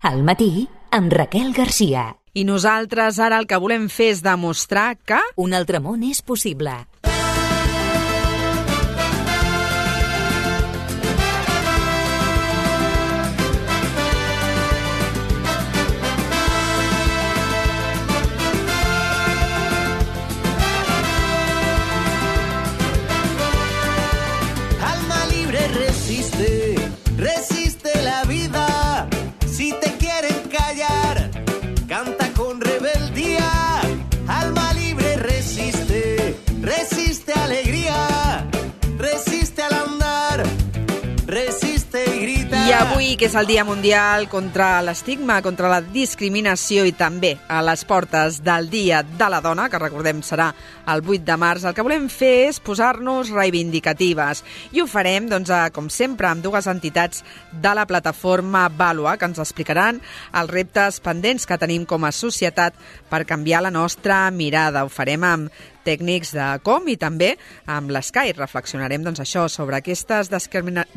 Al matí, amb Raquel Garcia. I nosaltres ara el que volem fer és demostrar que... Un altre món és possible. Alma libre resiste la vida. Si te quieren callar, canta con rebeldía. Alma libre resiste alegría, resiste al andar, resiste y grita. I avui, que és el Dia Mundial contra l'estigma, contra la discriminació i també a les portes del Dia de la Dona, que recordem serà el 8 de març, el que volem fer és posar-nos reivindicatives. I ho farem, doncs, com sempre, amb dues entitats de la plataforma Vàlua, que ens explicaran els reptes pendents que tenim com a societat per canviar la nostra mirada. Ho farem amb tècnics de Com i també amb l'Sky. Reflexionarem doncs, això sobre aquestes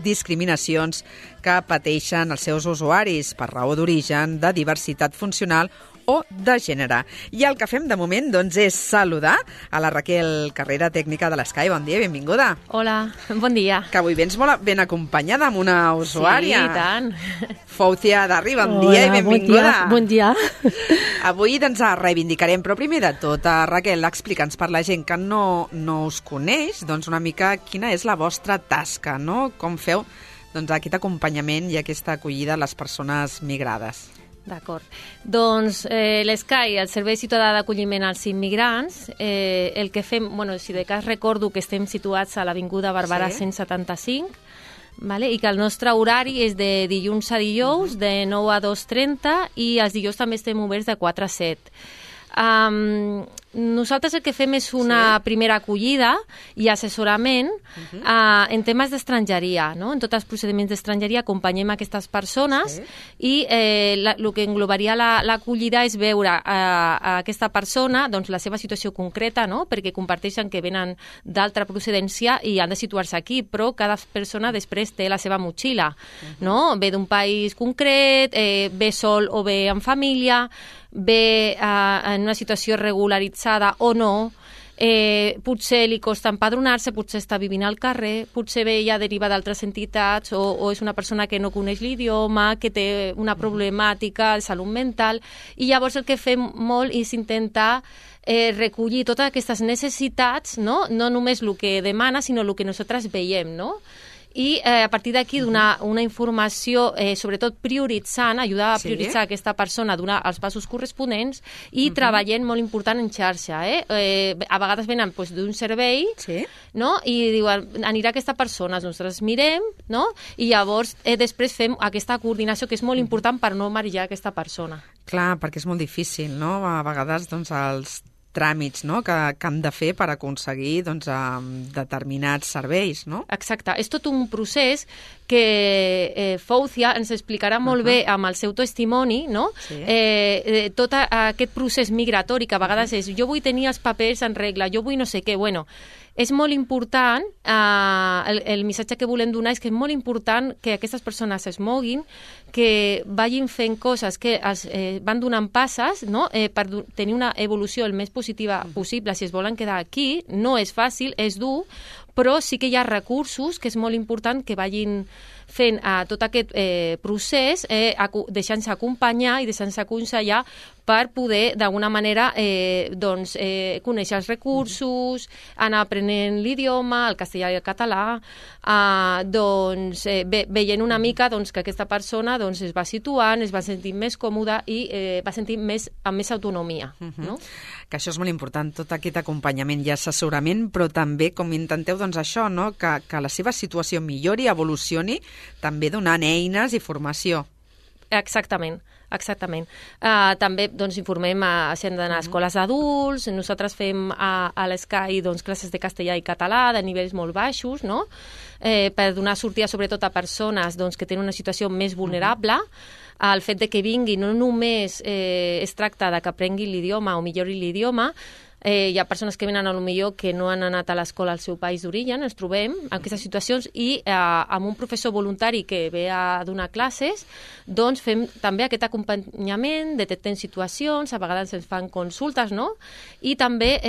discriminacions que pateixen els seus usuaris per raó d'origen, de diversitat funcional o de gènere. I el que fem de moment doncs, és saludar a la Raquel Carrera, tècnica de l'Sky. Bon dia, benvinguda. Hola, bon dia. Que avui vens molt ben acompanyada amb una usuària. Sí, i tant. Foucia Darri, bon dia i benvinguda. Bon dia. Avui doncs, reivindicarem, però primer de tot, Raquel, explica'ns per la gent que no us coneix, doncs una mica quina és la vostra tasca, no? Com feu doncs, aquest acompanyament i aquesta acollida a les persones migrades. D'acord. Doncs l'Sky, el Servei Ciutadà d'Acolliment als Immigrants, el que fem, si de cas recordo que estem situats a l'Avinguda Barberà 175, vale? I que el nostre horari és de dilluns a dijous, de 9 a 2:30, i els dijous també estem oberts de 4 a 7. Nosaltres el que fem és una primera acollida i assessorament en temes d'estrangeria, no? En tots els procediments d'estrangeria acompanyem aquestes persones i el que englobaria l'acollida és veure a aquesta persona doncs, la seva situació concreta, no? Perquè comparteixen que venen d'altra procedència i han de situar-se aquí, però cada persona després té la seva motxilla, no? Ve d'un país concret, ve sol o ve en família, ve en una situació regularitzada o no, potser li costa empadronar-se, potser està vivint al carrer, potser ve ja deriva d'altres entitats o és una persona que no coneix l'idioma, que té una problemàtica de salut mental, i llavors el que fem molt és intentar recollir totes aquestes necessitats, no només el que demana, sinó el que nosaltres veiem, no? I a partir d'aquí donar una informació, sobretot prioritzant, ajudar a prioritzar aquesta persona, donar els passos corresponents i treballem molt important en xarxa. A vegades venen d'un servei, no? I diuen, anirà aquesta persona, nosaltres mirem, no? I llavors després fem aquesta coordinació que és molt important per no marejar aquesta persona. Clar, perquè és molt difícil, no? A vegades doncs, els tràmits, no? que han de fer per aconseguir doncs, determinats serveis, no? Exacte. És tot un procés que Foucia ens explicarà molt bé amb el seu testimoni, no? Tot aquest procés migratori que a vegades és jo vull tenir els papers en regla, jo vull no sé què, és molt important, el missatge que volem donar és que és molt important que aquestes persones es moguin, que vagin fent coses, que van donant passes, no? Per tenir una evolució el més positiva possible. Si es volen quedar aquí, no és fàcil, és dur, però sí que hi ha recursos que és molt important que vagin fent tot aquest procés, deixant-se acompanyar i deixant-se aconsellar per poder, d'alguna manera, conèixer els recursos, anar aprenent l'idioma, el castellà i el català, veient una mica que aquesta persona es va situant, es va sentir més còmoda i va sentir amb més autonomia. No? Que això és molt important, tot aquest acompanyament i assessorament, però també com intenteu això, no? que la seva situació millori, evolucioni, també donant eines i formació. Exactament. També informem si han d'anar a escoles d'adults, nosaltres fem a l'Sky classes de castellà i català de nivells molt baixos, no? Per donar sortida sobretot a persones que tenen una situació més vulnerable. El fet de que vinguin no només es tracta de que aprenguin l'idioma o millori l'idioma, Hi ha persones que venen a lo millor que no han anat a l'escola al seu país d'origen, ens trobem en aquestes situacions i amb un professor voluntari que ve a donar classes, doncs fem també aquest acompanyament, detectem situacions, a vegades ens fan consultes, no? I també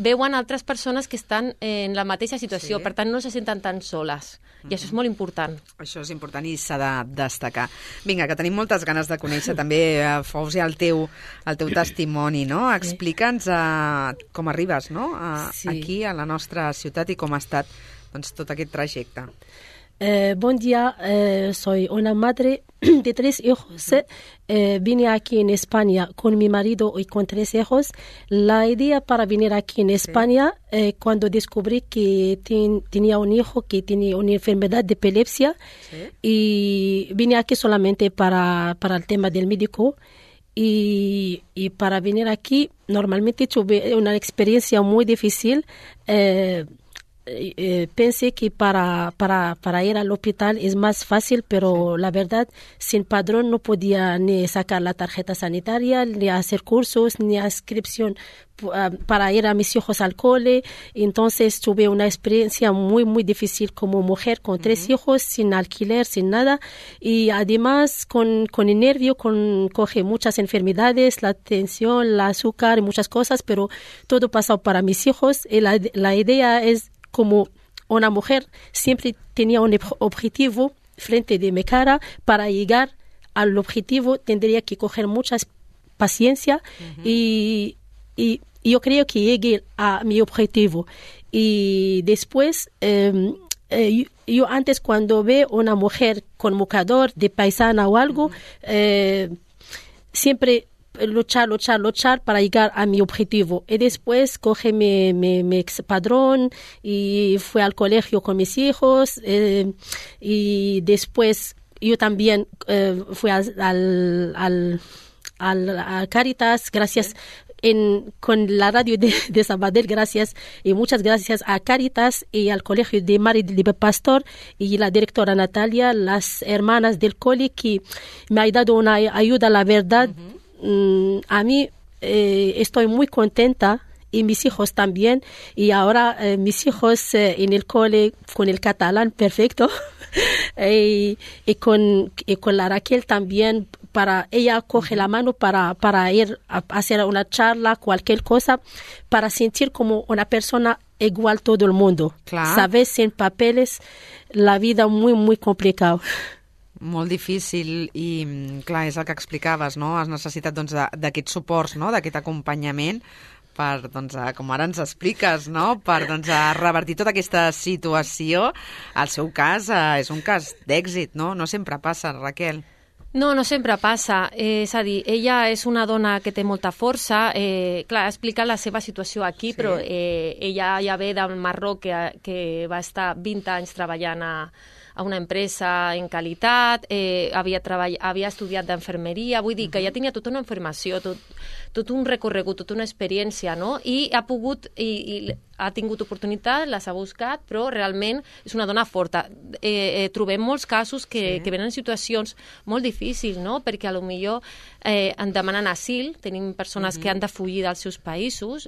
veuen altres persones que estan en la mateixa situació, per tant no se senten tan soles. I això és molt important. Això és important i s'ha de destacar. Vinga, que tenim moltes ganes de conèixer també, Fausia, el teu testimoni, no? Explica'ns com arribes, no? Aquí, a la nostra ciutat, i com ha estat tot aquest trajecte. Buen día, soy una madre de 3 hijos. Vine aquí en España con mi marido y con 3 hijos. La idea para venir aquí en España, cuando descubrí que tenía un hijo que tenía una enfermedad de epilepsia, y vine aquí solamente para el tema del médico. Y para venir aquí, normalmente tuve una experiencia muy difícil. Pensé que para ir al hospital es más fácil, pero la verdad, sin padrón no podía ni sacar la tarjeta sanitaria, ni hacer cursos, ni inscripción para ir a mis hijos al cole. Entonces tuve una experiencia muy, muy difícil como mujer con 3 hijos, sin alquiler, sin nada. Y además con el nervio, coge muchas enfermedades, la tensión, el azúcar y muchas cosas, pero todo pasó para mis hijos. Y la idea es, como una mujer siempre tenía un objetivo frente de mi cara, para llegar al objetivo tendría que coger mucha paciencia y yo creo que llegué a mi objetivo. Y después, yo antes cuando veo una mujer con mocador de paisana o algo, siempre luchar para llegar a mi objetivo. Y después coge mi expadrón y fui al colegio con mis hijos, y después yo también fui a Cáritas, gracias con la radio de Sabadell, gracias, y muchas gracias a Cáritas y al colegio de Mari de Pastor y la directora Natalia, las hermanas del cole, que me ha dado una ayuda, la verdad. A mí estoy muy contenta, y mis hijos también, y ahora mis hijos en el cole con el catalán perfecto y con la Raquel también, ella coge la mano para ir a hacer una charla, cualquier cosa, para sentir como una persona igual todo el mundo. Clar. Sabes, sin papeles, la vida muy, muy complicada. Molt difícil i, clar, és el que explicaves, no? Has necessitat d'aquests suports, no? D'aquest acompanyament per, com ara ens expliques, no? Per revertir tota aquesta situació. El seu cas és un cas d'èxit, no? No sempre passa, Raquel. No sempre passa. És a dir, ella és una dona que té molta força. Clar, ha explicat la seva situació aquí, sí. Però ella ja ve del Marroc, que va estar 20 anys treballant a una empresa en qualitat, havia estudiat d'enfermeria, vull dir que ja tenia tota una informació, tot un recorregut, tota una experiència, no? I ha pogut, i ha tingut oportunitat, les ha buscat, però realment és una dona forta. Trobem molts casos que venen en situacions molt difícils, no? Perquè potser en demanen asil, tenim persones que han de fugir dels seus països,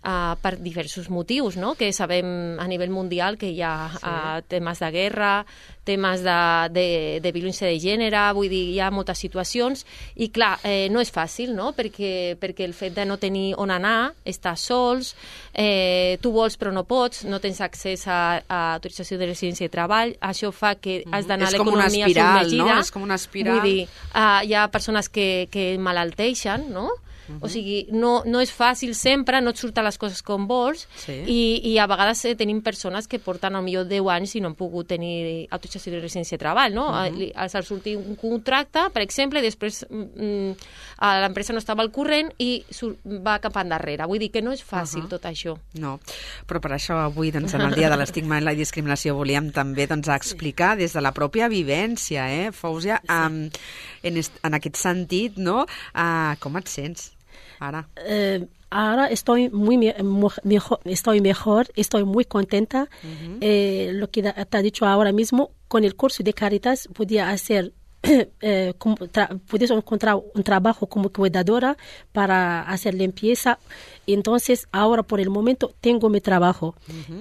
per diversos motius, no? Que sabem a nivell mundial que hi ha temes de guerra, temes de violència de gènere, vull dir, hi ha moltes situacions, i clar, no és fàcil, no? Perquè el fet de no tenir on anar, estar sols, tu vols però no pots, no tens accés a autorització de residència i treball, això fa que has d'anar a l'economia submergida. No? És com una espiral. Vull dir, hi ha persones que malalteixen, no? O sigui, no és fàcil sempre, no et surten les coses com vols, i a vegades tenim persones que porten potser 10 anys i no han pogut tenir autorització de residència i treball, no? Els ha sortit un contracte, per exemple, i després l'empresa no estava al corrent i va cap endarrere. Vull dir que no és fàcil tot això. No, però per això avui, en el Dia de l'Estigma i la Discriminació, volíem també explicar des de la pròpia vivència, Fausia, en aquest sentit, no? Com et sents ara? Ahora estoy mejor, estoy muy contenta. Lo que te ha dicho ahora mismo, con el curso de Cáritas podía hacer puedes encontrar un trabajo como cuidadora para hacer limpieza. Entonces, ahora por el momento tengo mi trabajo.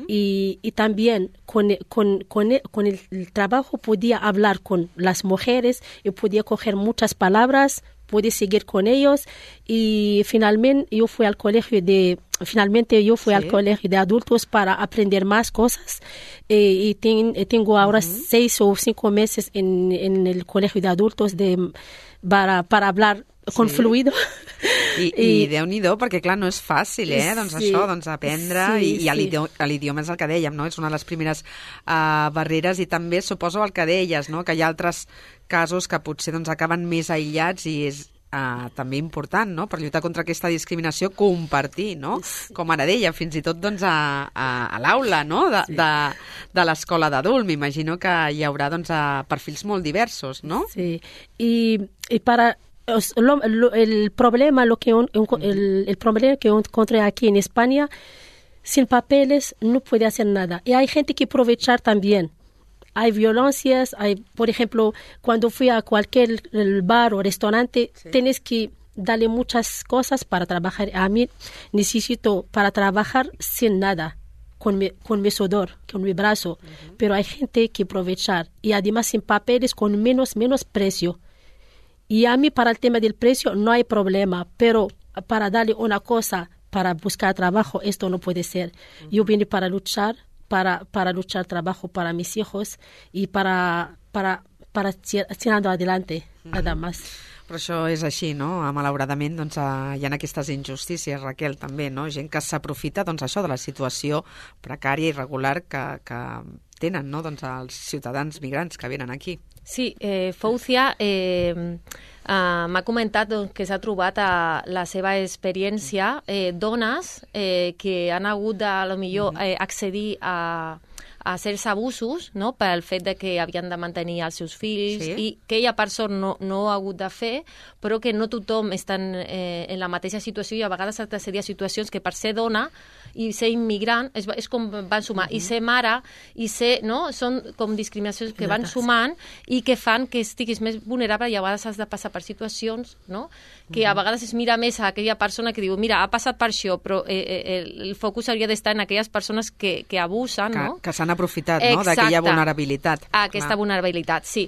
Y también con el trabajo podía hablar con las mujeres y podía coger muchas palabras, pude seguir con ellos y finalmente yo fui al colegio de adultos para aprender más cosas y tengo ahora 6 o 5 meses en el colegio de adultos para hablar con fluido. I Déu-n'hi-do, perquè clar, no és fàcil, doncs sí, això, doncs aprendre, i l'idioma és el que dèiem, no? És una de les primeres barreres, i també suposo el que deies, no? Que hi ha altres casos que potser doncs, acaben més aïllats i és també important, no? Per lluitar contra aquesta discriminació, compartir, no? Com ara deia, fins i tot doncs, a l'aula, no? De l'escola d'adult. M'imagino que hi haurà doncs, perfils molt diversos, no? Sí, i para... El problema que encontré aquí en España, sin papeles no puede hacer nada. Y hay gente que aprovechar también. Hay violencias, por ejemplo, cuando fui a cualquier bar o restaurante, tienes que darle muchas cosas para trabajar. A mí necesito para trabajar sin nada, con mi sudor, con mi brazo. Pero hay gente que aprovechar. Y además sin papeles, con menos precio. Y a mí para el tema del precio no hay problema, pero para darle una cosa, para buscar trabajo, esto no puede ser. Yo vine para luchar trabajo para mis hijos y para tirando adelante, nada más. Però això és així, no? Malauradament doncs, hi ha aquestes injustícies, Raquel, també, no? Gent que s'aprofita doncs, això de la situació precària i irregular que tenen, no? Doncs, els ciutadans migrants que venen aquí. Sí, Foucia m'ha comentat doncs, que s'ha trobat a la seva experiència dones que han hagut de, a lo millor, accedir a certs abusos, no?, pel fet de que havien de mantenir els seus fills, i que ella per sort no ha hagut de fer, però que no tothom està en la mateixa situació i a vegades ha d'accedir a situacions que per ser dona i ser immigrant és com van sumar. I ser mare, i ser, no?, són com discriminacions que van sumant i que fan que estiguis més vulnerable i a vegades has de passar per situacions, no?, que a vegades es mira més a aquella persona que diu, mira, ha passat per això, però el focus hauria d'estar en aquelles persones que abusen, no? Que s'han aprofitat, no?, d'aquella vulnerabilitat. Aquesta vulnerabilitat, sí.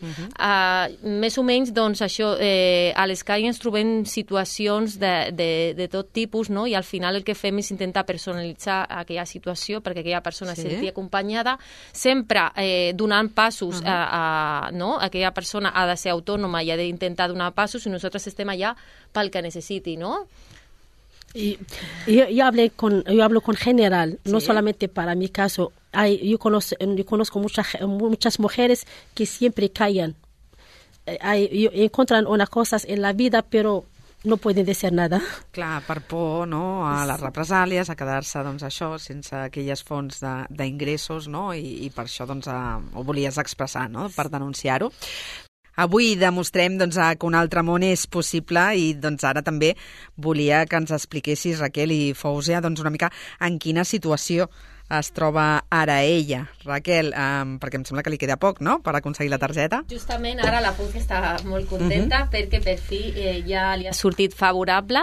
Més o menys, doncs, això, a l'Escai ens trobem situacions de tot tipus, no?, i al final el que fem és intentar personalitzar aquella situació perquè aquella persona se senti acompanyada, sempre donant passos no? Aquella persona ha de ser autònoma i ha d'intentar donar passos i nosaltres estem allà pel que necessiti, no? Yo hablo con general, no solamente para mi caso. Yo conozco muchas mujeres que siempre callan. Encuentran unas cosas en la vida, pero no pueden decir nada. Clar, per por, no?, a les represàlies, a quedar-se, doncs, això, sense aquelles fonts d'ingressos, no?, i per això, doncs, ho volies expressar, no?, per denunciar-ho. Avui demostrem doncs, que un altre món és possible i doncs, ara també volia que ens expliquessis, Raquel i Foucia, doncs, una mica en quina situació es troba ara ella. Raquel, perquè em sembla que li queda poc, no?, per aconseguir la targeta. Justament ara la Foucia està molt contenta perquè per fi ja li ha sortit favorable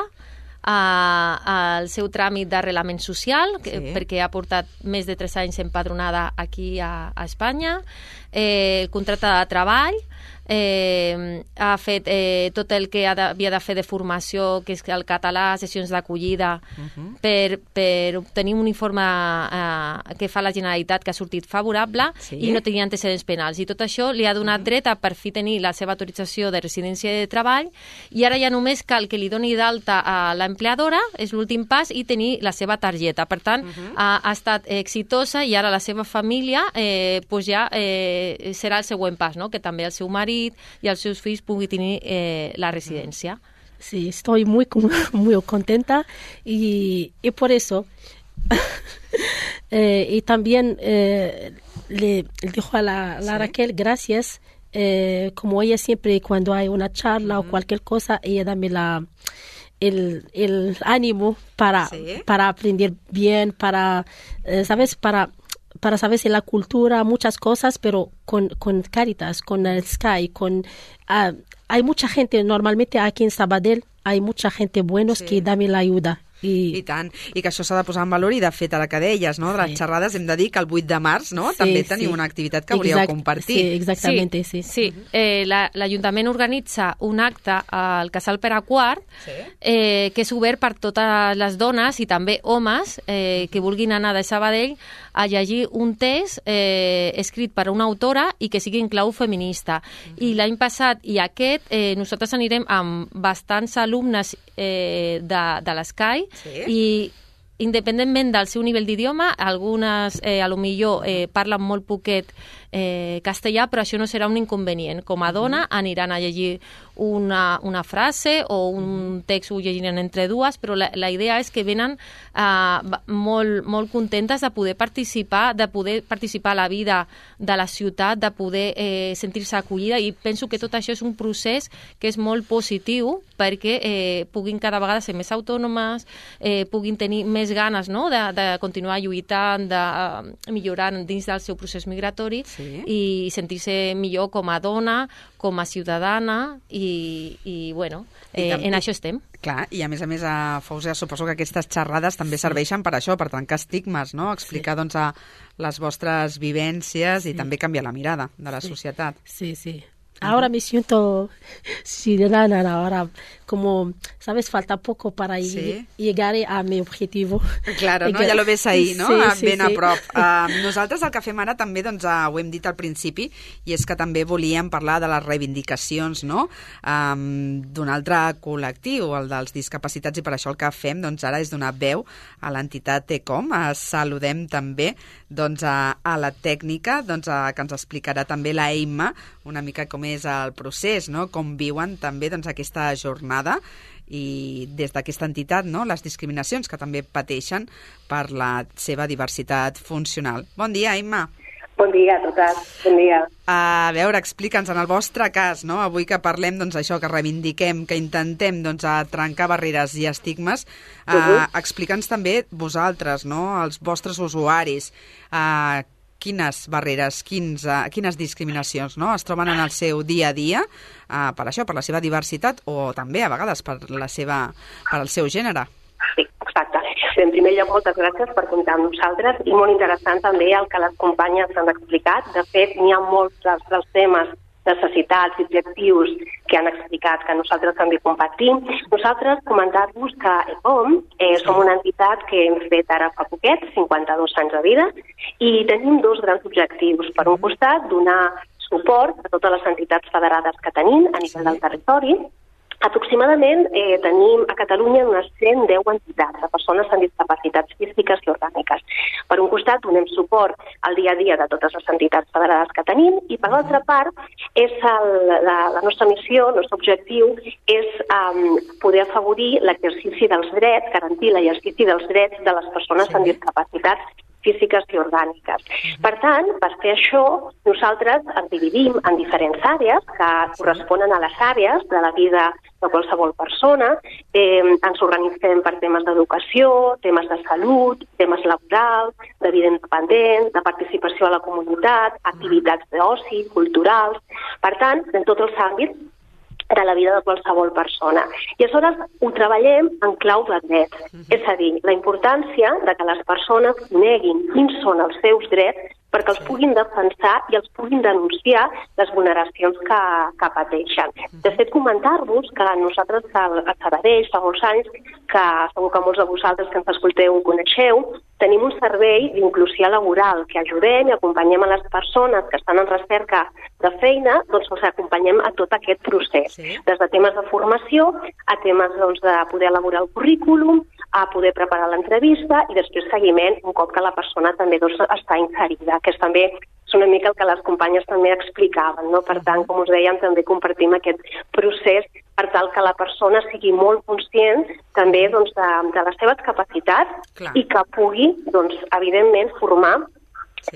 al seu tràmit d'arrelament social, perquè ha portat més de 3 anys empadronada aquí a Espanya, el contracte de treball, ha fet tot el que havia de fer de formació, que és el català, sessions d'acollida, per obtenir un informe que fa la Generalitat que ha sortit favorable i no tenia antecedents penals. I tot això li ha donat dret a per fi tenir la seva autorització de residència de treball i ara ja només cal que li doni d'alta a l'empleadora, és l'últim pas, i tenir la seva targeta. Per tant, ha estat exitosa i ara la seva família pues ja serà el següent pas, no?, que també el seu marit y a sus hijos pueden tener la residencia. Sí, estoy muy contenta y por eso y también le dijo a la Raquel gracias, como ella siempre cuando hay una charla o cualquier cosa, ella dame el ánimo para aprender bien, para, ¿sabes?, para saber si la cultura, muchas cosas, pero con Caritas, con el Sky, hay mucha gente, normalmente aquí en Sabadell, hay mucha gente buenos que dan la ayuda. I tant, i que això s'ha de posar en valor i de fet ara que deies, no, de les xerrades hem de dir que el 8 de març, no, també teniu una activitat que hauríeu compartit. Sí, exactamente, sí. L'Ajuntament organitza un acte al Casal Pere IV que és obert per totes les dones i també homes que vulguin anar de Sabadell a llegir un text escrit per una autora i que sigui en clau feminista. I l'any passat i aquest nosaltres anirem amb bastants alumnes de l'Sky i independentment del seu nivell d'idioma, algunes a lo millor parlen molt poquet castellà, però això no serà un inconvenient. Com a dona aniran a llegir una frase o un text ho llegiran entre dues, però la idea és que venen molt contentes de poder participar a la vida de la ciutat, de poder sentir-se acollida, i penso que tot això és un procés que és molt positiu perquè puguin cada vegada ser més autònomes, puguin tenir més ganes, no?, de continuar lluitant, de millorar dins del seu procés migratori i sentir-se millor com a dona, com a ciutadana i bueno, en això estem. Clar, i a més, a Fausia, suposo que aquestes xerrades també serveixen per això, per trencar estigmes, no? Explicar, doncs, les vostres vivències i també canviar la mirada de la societat. Sí. Ahora me siento ciudadana, ahora como, ¿sabes? Falta poco para llegar a mi objetivo. Claro, no? Ja lo ves ahir, no? Ben a prop. Nosaltres el que fem ara també, doncs, ho hem dit al principi, i és que també volíem parlar de les reivindicacions, no?, d'un altre col·lectiu, el dels discapacitats, i per això el que fem, doncs, ara és donar veu a l'entitat ECOM. Saludem també, doncs, a la tècnica, doncs, que ens explicarà també la Emma, una mica com és el procés, no?, com viuen també, doncs, aquesta jornada i des d'aquesta entitat, no?, les discriminacions que també pateixen per la seva diversitat funcional. Bon dia, Emma. Bon dia a totes, bon dia. A veure, explica'ns, en el vostre cas, no?, avui que parlem, doncs, això, que reivindiquem, que intentem, doncs, trencar barreres i estigmes, explica'ns també vosaltres, no?, els vostres usuaris, quines barreres, quines discriminacions, no?, es troben en el seu dia a dia per això, per la seva diversitat o també a vegades per el seu gènere. Sí, exacte. En primer lloc, moltes gràcies per comptar amb nosaltres i molt interessant també el que les companyes han explicat. De fet, n'hi ha molts dels temes, necessitats i objectius que han explicat que nosaltres també compartim. Nosaltres comentar-vos que ECOM som una entitat que hem fet ara fa poquet, 52 anys de vida, i tenim dos grans objectius. Per un costat, donar suport a totes les entitats federades que tenim a nivell del territori. Aproximadament tenim a Catalunya unes 110 entitats de persones amb discapacitats físiques i orgàniques. Per un costat, donem suport al dia a dia de totes les entitats federades que tenim i, per l'altra part, la nostra missió, el nostre objectiu és poder afavorir l'exercici dels drets, garantir l'exercici dels drets de les persones amb discapacitats físiques i orgàniques. Per tant, per fer això, nosaltres ens dividim en diferents àrees que corresponen a les àrees de la vida de qualsevol persona. Ens organitzem per temes d'educació, temes de salut, temes laborals, de vida independent, de participació a la comunitat, activitats d'oci, culturals. Per tant, en tots els àmbits de la vida de qualsevol persona. I aleshores ho treballem en clau de drets. És a dir, la importància de que les persones coneguin quins són els seus drets perquè els puguin defensar i els puguin denunciar les vulneracions que pateixen. De fet, comentar-vos que nosaltres a Sabadell fa molts anys, que segur que molts de vosaltres que ens escolteu ho coneixeu, tenim un servei d'inclusió laboral que ajudem i acompanyem a les persones que estan en recerca de feina, doncs els acompanyem a tot aquest procés. Des de temes de formació a temes de poder elaborar el currículum, a poder preparar l'entrevista i després seguiment un cop que la persona també està inserida, que també és una mica el que les companyes també explicaven, no? Per tant, com us dèiem, també compartim aquest procés per tal que la persona sigui molt conscient també de les seves capacitats i que pugui, evidentment, formar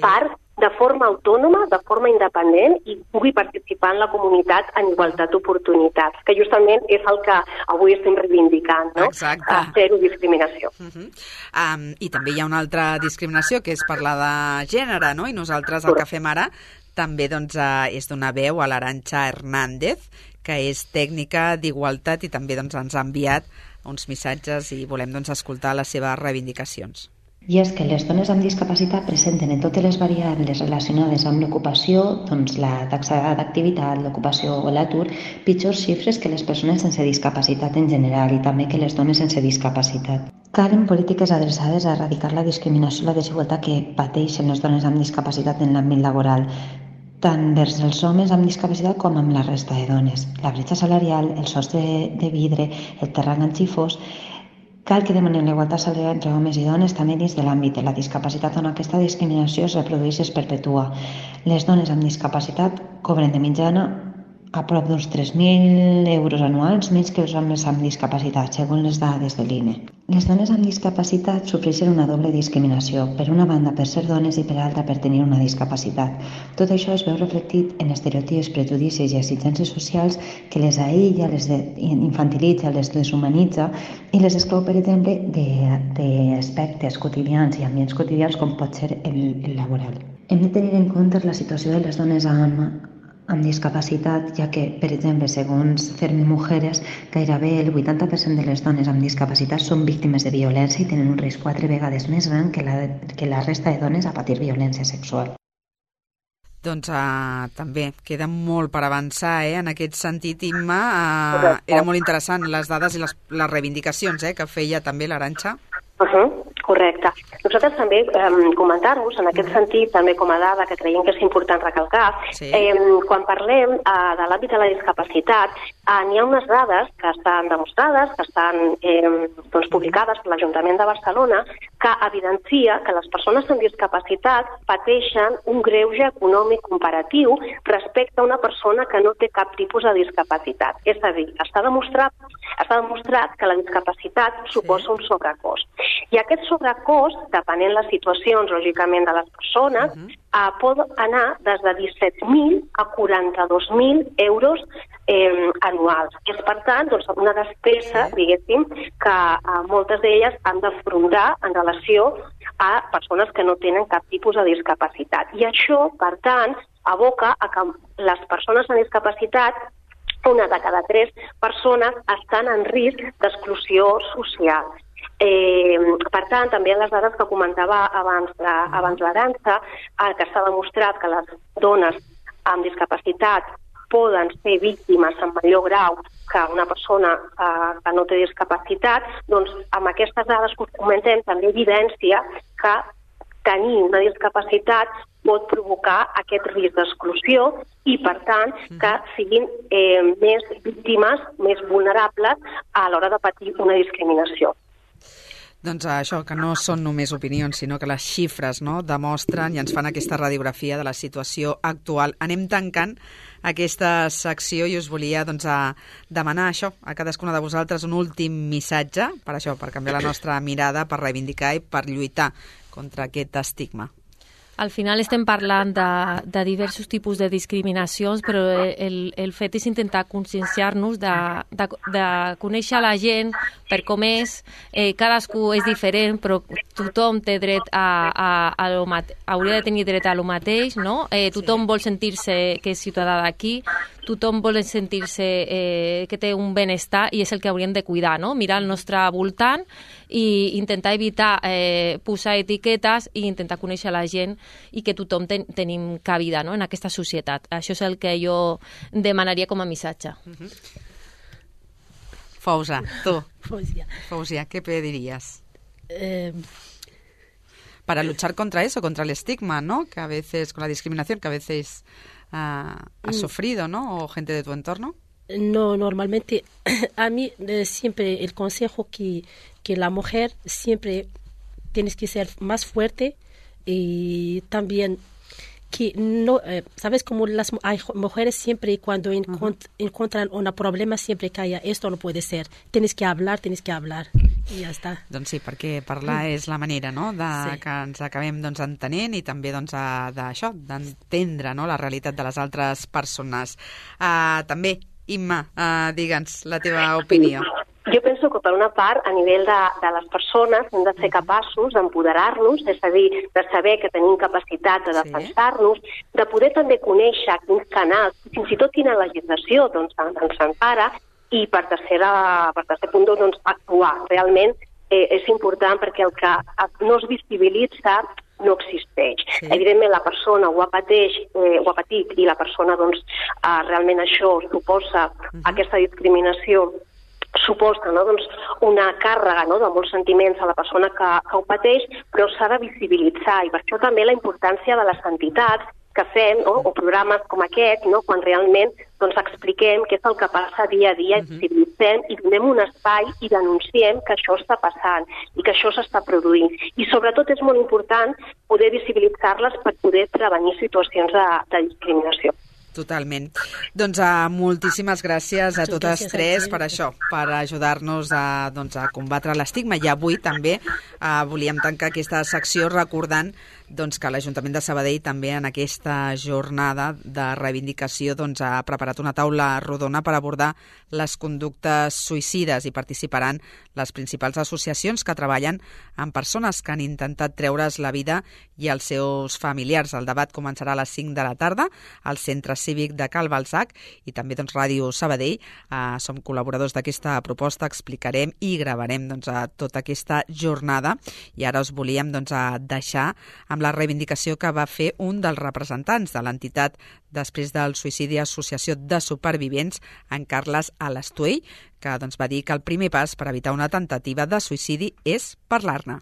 part de forma autònoma, de forma independent i pugui participar en la comunitat en igualtat d'oportunitats, que justament és el que avui estem reivindicant, no? Exacte. Zero discriminació. I també hi ha una altra discriminació, que és per la de gènere, no? I nosaltres el que fem ara també doncs, és donar veu a l'Arantxa Hernández, que és tècnica d'igualtat i també doncs, ens ha enviat uns missatges i volem doncs, escoltar les seves reivindicacions. I és que les dones amb discapacitat presenten en totes les variables relacionades amb l'ocupació, doncs la taxa d'activitat, l'ocupació o l'atur, pitjors xifres que les persones sense discapacitat en general i també que les dones sense discapacitat. Calen polítiques adreçades a erradicar la discriminació i la desigualtat que pateixen les dones amb discapacitat en l'àmbit laboral, tant vers els homes amb discapacitat com amb la resta de dones. La bretxa salarial, el sostre de vidre, el terreny xifós. Cal que demanem la igualtat salarial entre homes i dones també dins de l'àmbit de la discapacitat on aquesta discriminació es reprodueix i es perpetua. Les dones amb discapacitat cobren de mitjana a prop d'uns 3.000 euros anuals menys que els homes amb discapacitat, segons les dades de l'INE. Les dones amb discapacitat sofreixen una doble discriminació, per una banda per ser dones i per altra per tenir una discapacitat. Tot això es veu reflectit en estereotips, prejudicis i exigències socials que les aïlla, les infantilitza, les deshumanitza i les exclou, per exemple, d'aspectes quotidians i ambients quotidians com pot ser el laboral. Hem de tenir en compte la situació de les dones amb discapacitat, ja que, per exemple, segons Fermi Mujeres, gairebé el 80% de les dones amb discapacitat són víctimes de violència i tenen un risc 4 vegades més gran que la resta de dones a patir violència sexual. Doncs també queda molt per avançar en aquest sentit, Imma. Era molt interessant les dades i les reivindicacions que feia també l'Arantxa. Correcte. Nosaltres també comentar-vos, en aquest sentit, també com a dada que creiem que és important recalcar, quan parlem de l'àmbit de la discapacitat, n'hi ha unes dades que estan demostrades, que estan publicades per l'Ajuntament de Barcelona, que evidencia que les persones amb discapacitat pateixen un greuge econòmic comparatiu respecte a una persona que no té cap tipus de discapacitat. És a dir, està demostrat que la discapacitat suposa un sobrecost. I aquest sobrecost, depenent les situacions, lògicament, de les persones, pot anar des de 17.000 a 42.000 euros anuals. És, per tant, una despesa, diguéssim, que moltes d'elles han d'afrontar en relació a persones que no tenen cap tipus de discapacitat. I això, per tant, aboca a que les persones amb discapacitat, una de cada 3 persones, estan en risc d'exclusió social. Per tant, també les dades que comentava abans l'Arantxa, que s'ha demostrat que les dones amb discapacitat poden ser víctimes en major grau que una persona que no té discapacitat, doncs amb aquestes dades que comentem també evidència que tenir una discapacitat pot provocar aquest risc d'exclusió i, per tant, que siguin més víctimes, més vulnerables a l'hora de patir una discriminació. Doncs això, que no són només opinions, sinó que les xifres demostren i ens fan aquesta radiografia de la situació actual. Anem tancant aquesta secció i us volia demanar això a cadascuna de vosaltres un últim missatge per canviar la nostra mirada, per reivindicar i per lluitar contra aquest estigma. Al final estem parlant de diversos tipus de discriminacions, però el fet és intentar conscienciar-nos de conèixer la gent per com és. Cadascú és diferent, però tothom té dret hauria de tenir dret a lo mateix, no? Tothom vol sentir-se que és ciutadà d'aquí, tothom vol sentir-se que té un benestar i és el que hauríem de cuidar, no? Mirar al nostre voltant i intentar evitar posar etiquetes i intentar conèixer la gent i que tothom tenim cabida, no? En aquesta societat. Això és el que jo demanaria com a missatge. Fausia, tú. Fausia, ¿qué pedirías? Para luchar contra eso, contra el estigma, ¿no? Que a veces, con la discriminación que a veces has sufrido, ¿no? O gente de tu entorno. No, normalmente a mí siempre el consejo que la mujer siempre tienes que ser más fuerte y también que no, sabes como hay mujeres siempre cuando encuentran un problema siempre calla, esto no puede ser, tienes que hablar I ja està. Doncs sí, perquè parlar és la manera, no?, que ens acabem entenent i també d'això, d'entendre, no?, la realitat de les altres persones. També, Imma, digue'ns la teva opinió. Jo penso que, per una part, a nivell de les persones hem de ser capaços d'empoderar-nos, és a dir, de saber que tenim capacitat de defensar-nos, de poder també conèixer quins canals, fins i tot quina legislació ens empara, i per tercer punt, actuar. Realment és important perquè el que no es visibilitza no existeix. Sí. Evidentment, la persona ho ha patit i la persona, realment això suposa aquesta discriminació, suposa una càrrega de molts sentiments a la persona que ho pateix, però s'ha de visibilitzar, i per això també la importància de les entitats que fem, o programes com aquest, quan realment expliquem què és el que passa dia a dia, i visibilitzem i donem un espai i denunciem que això està passant i que això s'està produint. I sobretot és molt important poder visibilitzar-les per poder prevenir situacions de discriminació. Totalment. Doncs moltíssimes gràcies a totes tres per això, per ajudar-nos a combatre l'estigma. I avui també volíem tancar aquesta secció recordant que l'Ajuntament de Sabadell també en aquesta jornada de reivindicació ha preparat una taula rodona per abordar les conductes suïcides, i participaran les principals associacions que treballen amb persones que han intentat treure's la vida i els seus familiars. El debat començarà a les 5 de la tarda al Centre Cívic de Cal Balzac, i també Ràdio Sabadell. Som col·laboradors d'aquesta proposta, explicarem i gravarem tota aquesta jornada, i ara us volíem deixar amb la reivindicació que va fer un dels representants de l'entitat després del suïcidi, Associació de Supervivents, en Carles Alastuell, que va dir que el primer pas per evitar una tentativa de suïcidi és parlar-ne.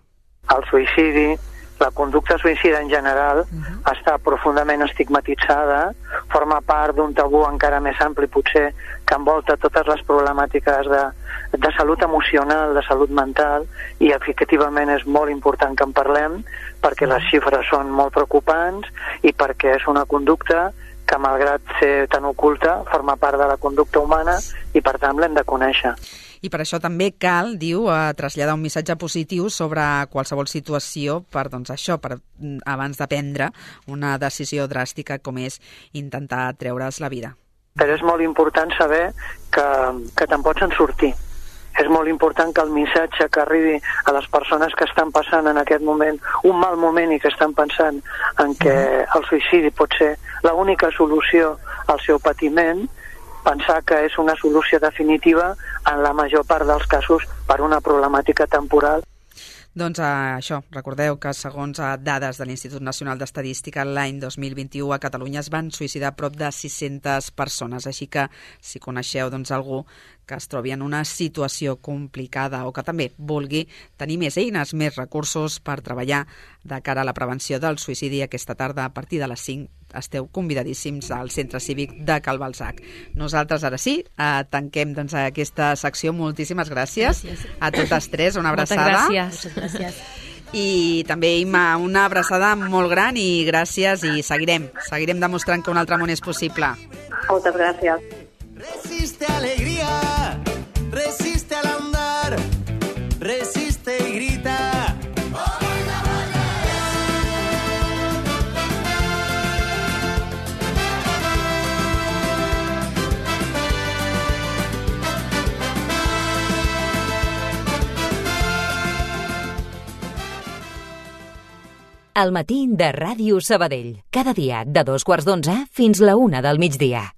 El suïcidi, la conducta suïcida en general, està profundament estigmatitzada, forma part d'un tabú encara més ampli, potser, que envolta totes les problemàtiques de salut emocional, de salut mental, i efectivament és molt important que en parlem, perquè les xifres són molt preocupants i perquè és una conducta que, malgrat ser tan oculta, forma part de la conducta humana i, per tant, l'hem de conèixer. I per això també cal, diu, traslladar un missatge positiu sobre qualsevol situació per abans de prendre una decisió dràstica com és intentar treure's la vida. Però és molt important saber que te'n pots en sortir. És molt important que el missatge que arribi a les persones que estan passant en aquest moment un mal moment i que estan pensant en que el suïcidi pot ser l'única solució al seu patiment, pensar que és una solució definitiva en la major part dels casos per una problemàtica temporal. Doncs això, recordeu que segons dades de l'Institut Nacional d'Estadística, l'any 2021 a Catalunya es van suïcidar prop de 600 persones, així que si coneixeu algú que es trobi en una situació complicada o que també vulgui tenir més eines, més recursos per treballar de cara a la prevenció del suïcidi, aquesta tarda a partir de les 5 esteu convidadíssims al Centre Cívic de Cal Balzac. Nosaltres ara sí, tanquem aquesta secció. Moltíssimes gràcies a totes tres, una abraçada. Moltes gràcies. I també, Imma, una abraçada molt gran i gràcies, i seguirem demostrant que un altre món és possible. Moltes gràcies. Resiste alegría, resiste al andar, resiste y grita. Al matí de Ràdio Sabadell. Cada dia de 2:15 fins la 1 del migdia.